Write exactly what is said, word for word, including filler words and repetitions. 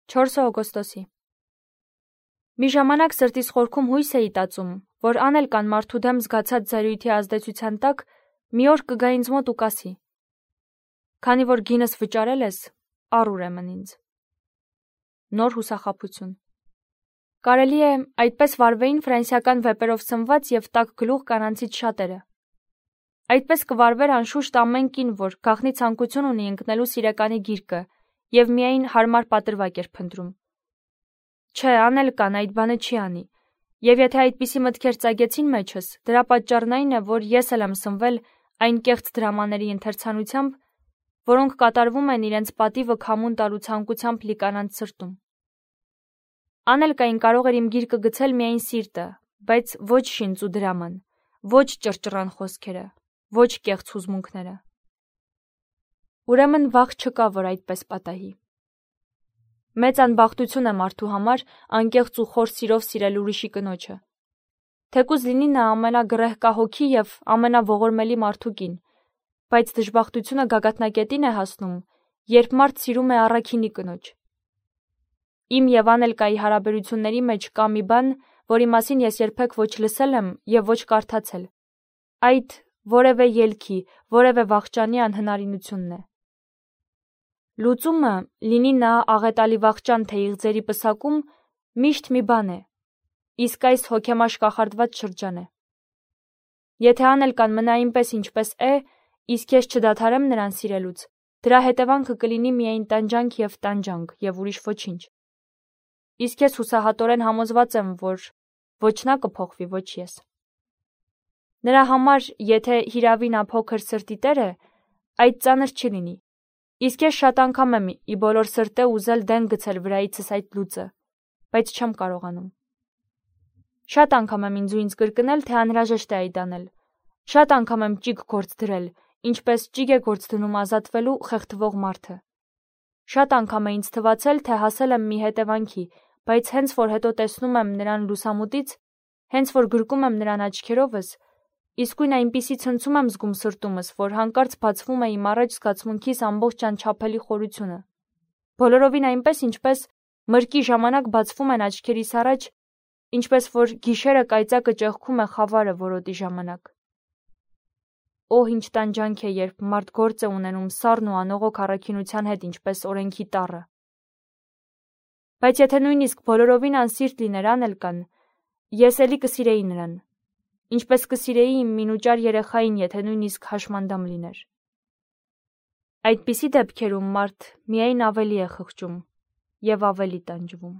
չորսը օգոստոսի։ Մի ժամանակ սրտիս խորքում հույս էի տածում, որ անել կան մարդու դեմ զգացած զայրույթի ազդեցության տակ մի օր կգա ինձ մոտ ու կասի. քանի որ գինս վճարել ես, առ ուրեմն ինձ։ Նոր հուսախաբություն։ Կարելի է այդպես վարվեին ֆրանսիական վեպերով սնված և տաք գլուխ կանանցից շատերը։ Այդպես կվարվեր անշուշտ ամեն կին, որ գաղտնի ցանկություն ունի ընկնելու սիրեկանի գիրկը և միայն հարմար պատրվակ էր փնտրում։ Չէ, անել կան, այդ բանը չի անի, և եթե այդպիսի մտքեր ծագեցին մեջս, դրա պատճառն այն է, որ ես էլ եմ սնվել այն կեղծ դրամաների ընթերցանությամբ, որոնք կատարվում են իրենց պատիվը քամուն տալու ցանկությամբ լի կանանց սրտում։ Անել կային կարող էր իմ գիրկը գցել միայն սիրտը, բայց ոչ շինծ ու դրաման, ոչ ճռճռան խոսքերը, ոչ կեղծ հուզմունքները։ Ուրեմն վաղ չկա, որ այդպես պատահի։ Մեծ անբախտություն է մարդու համար անկեղծ ու խոր սիրով սիրել ուրիշի կնոջը։ Թեկուզ լինի նա ամենագրեհկահոգի և ամենաողորմելի մարդու կին, բայց դժբախտությունը գագաթնակետին է հասնում, երբ մարդ սիրում է առաքինի կնոջ։ Իմ և Անելկայի հարաբերությունների մեջ կա մի բան, որի մասին ես երբեք ոչ լսել եմ և ոչ կարդացել։ Այդ որևէ ելքի, որևէ վախճանի անհնարինությունն է։ Լուծումը, լինի նա աղետալի վախճան թե իղձերի պսակում, միշտ մի բան է, իսկ այս հոգեմաշ կախարդված շրջան է։ Եթե Անելկան մնա այնպես, ինչպես է, իսկ ես չդադարեմ նրան սիրելուց, դրա հետևանքը կլինի միայն տանջանք և տանջանք և ուրիշ ոչինչ։ Իսկ ես հուսահատորեն համոզված եմ, որ ոչ նա կփոխվի, ոչ ես։ Նրա համար, եթե հիրավի նա փոքր սրտի տեր է, այդ ծանր չի լինի, իսկ ես շատ անգամ եմ ի բոլոր սրտե ուզել դեն գցել վրայիցս այդ լուծը, բայց չեմ կարողանում։ Շատ անգամ եմ ինձ ու ինձ կրկնել, թե անհրաժեշտ է այդ անել։ Շատ անգամ եմ ճիգ գործ դրել, ինչպես ճիգ է գործ դնում ազատվելու խեղդվող մարդը։ Շատ անգամ է ինձ թվացել, թե հասել եմ մի հետևանքի, բայց հենց որ հետո տեսնում եմ նրան լուսամուտից, հենց որ գրկում եմ նրան աչքերովս, իսկույն այնպիսի ցնցում եմ զգում սրտումս, որ հանկարծ բացվում է իմ առաջ զգացմունքիս ամբողջ անչափելի խորությունը։ Բոլորովին այնպես, ինչպես մրկի ժամանակ բացվում են աչքերիս առաջ, ինչպես որ գիշերը կայծակը ճեղքում է խավարը որոտի ժամանակ։ Օ, ինչ տանջանք է, երբ մարդ գործ է ունենում սառն ու անողոք առաքինության հետ, ինչպես օրենքի տառը։ Բայց եթե նույնիսկ բոլորովին անսիրտ լիներ Անելկան, ես էլի կսիրեի նրան, ինչպես կսիրեի իմ մինուճար երեխային, եթե նույնիսկ հաշմանդամ լիներ։ Այդպիսի դեպքերում մարդ միայն ավելի է խղճում և ավելի տանջվում։